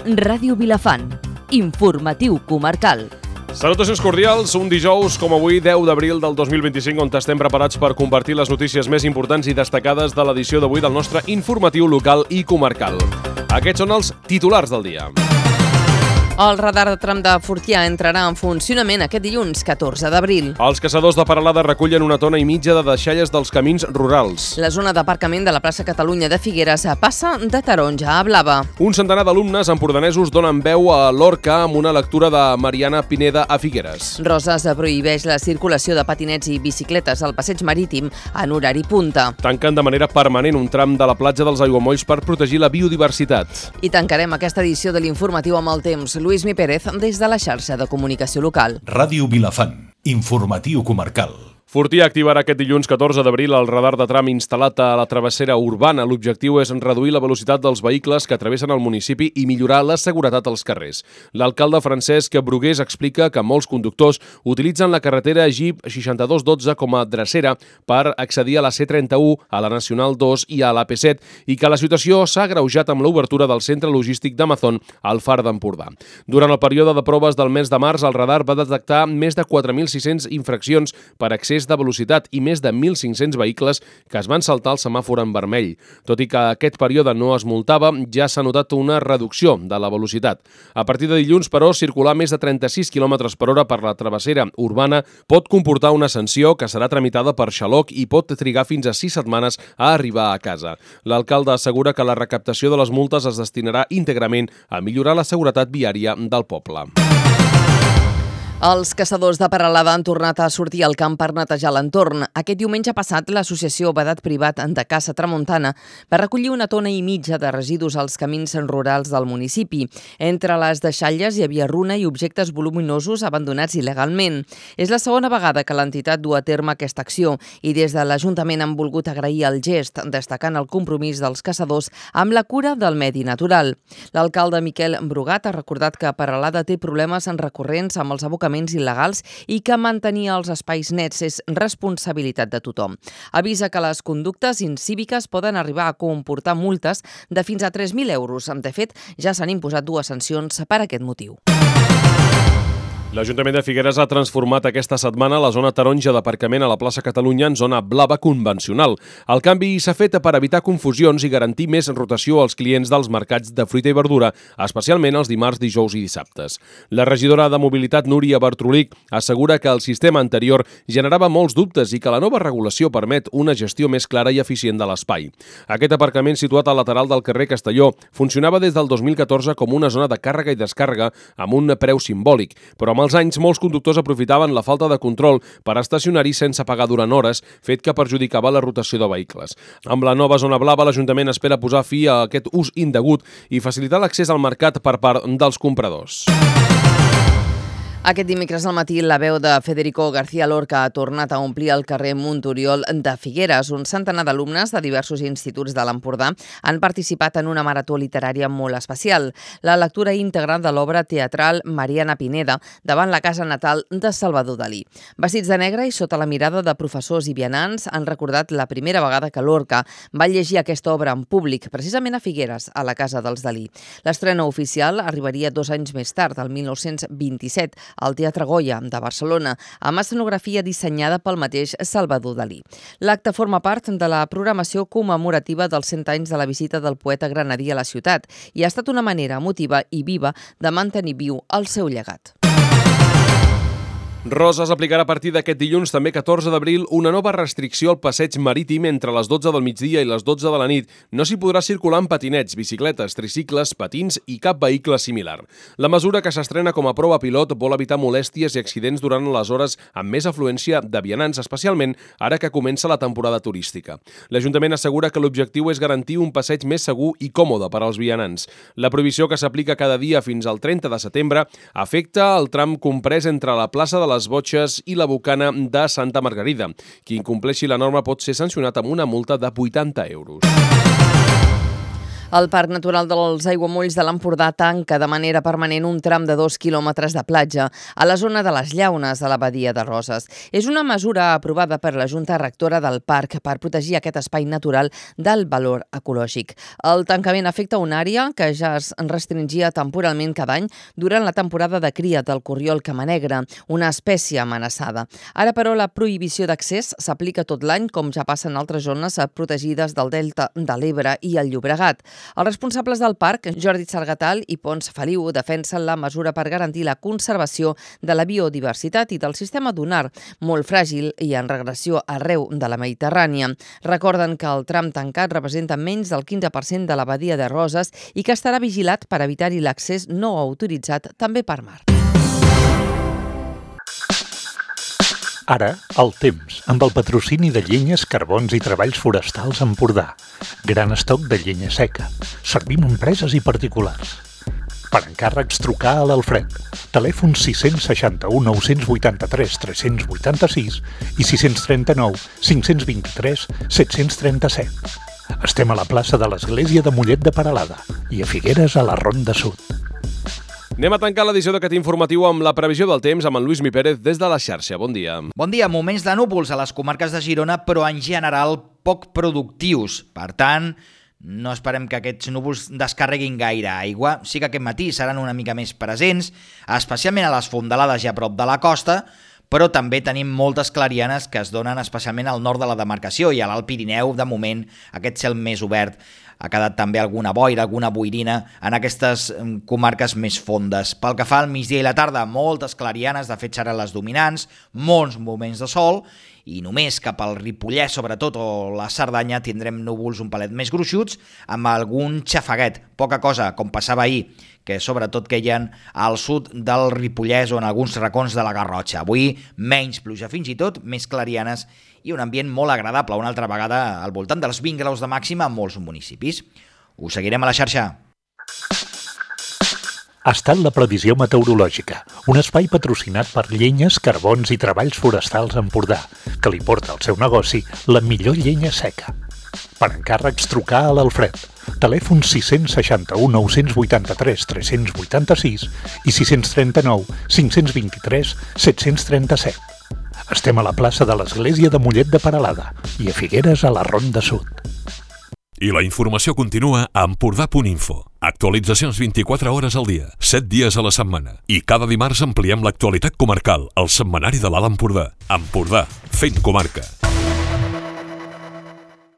Ràdio Vilafant. Informatiu comarcal. Salutacions cordials, un dijous com avui, 10 d'abril del 2025, on estem preparats per compartir les notícies més importants i destacades de l'edició d'avui del nostre informatiu local i comarcal. Aquests són els titulars del dia. El radar de tram de Fortià entrarà en funcionament aquest dilluns, 14 d'abril. Els caçadors de Peralada recullen 1,5 tones de deixalles dels camins rurals. La zona d'aparcament de la plaça Catalunya de Figueres passa de taronja a blava. Un centenar d'alumnes empordanesos donen veu a l'Orca amb una lectura de Mariana Pineda a Figueres. Roses prohibeix la circulació de patinets i bicicletes al passeig marítim en horari punta. Tanquen de manera permanent un tram de la platja dels Aiguamolls per protegir la biodiversitat. I tancarem aquesta edició de l'informatiu amb el temps. Lluís Mi Pérez, des de la xarxa de comunicació local. Ràdio Vilafant, informatiu comarcal. Fortià activarà aquest dilluns 14 d'abril el radar de tram instal·lat a la travessera urbana. L'objectiu és reduir la velocitat dels vehicles que travessen el municipi i millorar la seguretat als carrers. L'alcalde Francesc Brugués explica que molts conductors utilitzen la carretera GIP 6212 com a drecera per accedir a la C31, a la Nacional 2 i a l'AP7 i que la situació s'ha agreujat amb l'obertura del centre logístic d'Amazon al Far d'Empordà. Durant el període de proves del mes de març, el radar va detectar més de 4.600 infraccions per excés de velocitat i més de 1.500 vehicles que es van saltar el semàfor en vermell. Tot i que aquest període no es multava, ja s'ha notat una reducció de la velocitat. A partir de dilluns, però, circular més de 36 km per hora per la travessera urbana pot comportar una sanció que serà tramitada per xaloc i pot trigar fins a 6 setmanes a arribar a casa. L'alcalde assegura que la recaptació de les multes es destinarà íntegrament a millorar la seguretat viària del poble. Els caçadors de Peralada han tornat a sortir al camp per netejar l'entorn. Aquest diumenge passat, l'associació Vedat Privat de Caça Tramuntana va recollir 1,5 tones de residus als camins rurals del municipi. Entre les deixalles hi havia runa i objectes voluminosos abandonats il·legalment. És la segona vegada que l'entitat du a terme aquesta acció i des de l'Ajuntament han volgut agrair el gest, destacant el compromís dels caçadors amb la cura del medi natural. L'alcalde Miquel Brugat ha recordat que Peralada té problemes recurrents amb els abocaments il·legals i que mantenir els espais nets és responsabilitat de tothom. Avisa que les conductes incíviques poden arribar a comportar multes de fins a 3.000 euros. De fet, ja s'han imposat 2 sancions per aquest motiu. L'Ajuntament de Figueres ha transformat aquesta setmana la zona taronja d'aparcament a la plaça Catalunya en zona blava convencional. El canvi s'ha fet per evitar confusions i garantir més rotació als clients dels mercats de fruita i verdura, especialment els dimarts, dijous i dissabtes. La regidora de Mobilitat, Núria Bartrolic, assegura que el sistema anterior generava molts dubtes i que la nova regulació permet una gestió més clara i eficient de l'espai. Aquest aparcament, situat al lateral del carrer Castelló, funcionava des del 2014 com una zona de càrrega i descàrrega amb un preu simbòlic, però amb els anys molts conductors aprofitaven la falta de control per estacionar-hi sense pagar durant hores, fet que perjudicava la rotació de vehicles. Amb la nova zona blava, l'Ajuntament espera posar fi a aquest ús indegut i facilitar l'accés al mercat per part dels compradors. Aquest dimecres al matí, la veu de Federico García Lorca ha tornat a omplir el carrer Montoriol de Figueres. Un centenar d'alumnes de diversos instituts de l'Empordà han participat en una marató literària molt especial. La lectura íntegra de l'obra teatral Mariana Pineda davant la casa natal de Salvador Dalí. Vestits de negre i sota la mirada de professors i vianants han recordat la primera vegada que Lorca va llegir aquesta obra en públic, precisament a Figueres, a la casa dels Dalí. L'estrena oficial arribaria 2 anys més tard, el 1927, al Teatre Goya de Barcelona, amb escenografia dissenyada pel mateix Salvador Dalí. L'acte forma part de la programació commemorativa dels 100 anys de la visita del poeta granadí a la ciutat i ha estat una manera emotiva i viva de mantenir viu el seu llegat. Roses aplicarà a partir d'aquest dilluns, també 14 d'abril, una nova restricció al passeig marítim entre les 12 del migdia i les 12 de la nit. No s'hi podrà circular amb patinets, bicicletes, tricicles, patins i cap vehicle similar. La mesura, que s'estrena com a prova pilot, vol evitar molèsties i accidents durant les hores amb més afluència de vianants, especialment ara que comença la temporada turística. L'Ajuntament assegura que l'objectiu és garantir un passeig més segur i còmode per als vianants. La prohibició, que s'aplica cada dia fins al 30 de setembre, afecta el tram comprès entre la plaça de les Botxes i la Bocana de Santa Margarida. Qui incompleixi la norma pot ser sancionat amb una multa de 80 euros. El Parc Natural dels Aiguamolls de l'Empordà tanca de manera permanent un tram de 2 quilòmetres de platja a la zona de les Llaunes de la Badia de Roses. És una mesura aprovada per la Junta Rectora del Parc per protegir aquest espai natural del valor ecològic. El tancament afecta una àrea que ja es restringia temporalment cada any durant la temporada de cria del corriol camanegre, una espècie amenaçada. Ara, però, la prohibició d'accés s'aplica tot l'any, com ja passa en altres zones protegides del Delta de l'Ebre i el Llobregat. Els responsables del parc, Jordi Sargatal i Pons Feliu, defensen la mesura per garantir la conservació de la biodiversitat i del sistema dunar, molt fràgil i en regressió arreu de la Mediterrània. Recorden que el tram tancat representa menys del 15% de la Badia de Roses i que estarà vigilat per evitar-hi l'accés no autoritzat també per mar. Ara, el temps, amb el patrocini de Llenyes, Carbons i Treballs Forestals Empordà. Gran estoc de llenya seca. Servim empreses i particulars. Per encàrrecs, trucar a l'Alfred. Telèfon 661 983 386 i 639 523 737. Estem a la plaça de l'Església de Mollet de Peralada i a Figueres a la Ronda Sud. Anem a tancar l'edició d'aquest informatiu amb la previsió del temps amb en Lluís Mi Pérez des de la xarxa. Bon dia. Bon dia. Moments de núvols a les comarques de Girona, però en general poc productius. Per tant, no esperem que aquests núvols descarreguin gaire aigua. Sí que aquest matí seran una mica més presents, especialment a les fondalades i a prop de la costa, però també tenim moltes clarianes que es donen especialment al nord de la demarcació i a l'Alt Pirineu, de moment, aquest cel més obert. Ha quedat també alguna boira, alguna boirina en aquestes comarques més fondes. Pel que fa al migdia i la tarda, moltes clarianes, de fet seran les dominants, molts moments de sol, i només cap al Ripollès, sobretot, o la Cerdanya, tindrem núvols un palet més gruixuts, amb algun xafaguet, poca cosa, com passava ahir, que sobretot queien al sud del Ripollès o en alguns racons de la Garrotxa. Avui menys pluja fins i tot, més clarianes i un ambient molt agradable, una altra vegada al voltant dels 20 graus de màxima en molts municipis. Us seguirem a la xarxa. Ha estat la previsió meteorològica, un espai patrocinat per Llenyes, Carbons i Treballs Forestals Empordà, que li porta al seu negoci la millor llenya seca. Per encàrrecs, trucar a l'Alfred. Telèfon 661 983 386 i 639 523 737. Estem a la plaça de l'Església de Mollet de Peralada i a Figueres a la Ronda Sud. I la informació continua a empordà.info. Actualitzacions 24 hores al dia, 7 dies a la setmana. I cada dimarts ampliem l'actualitat comarcal al setmanari de l'Alt Empordà. Empordà, fent comarca.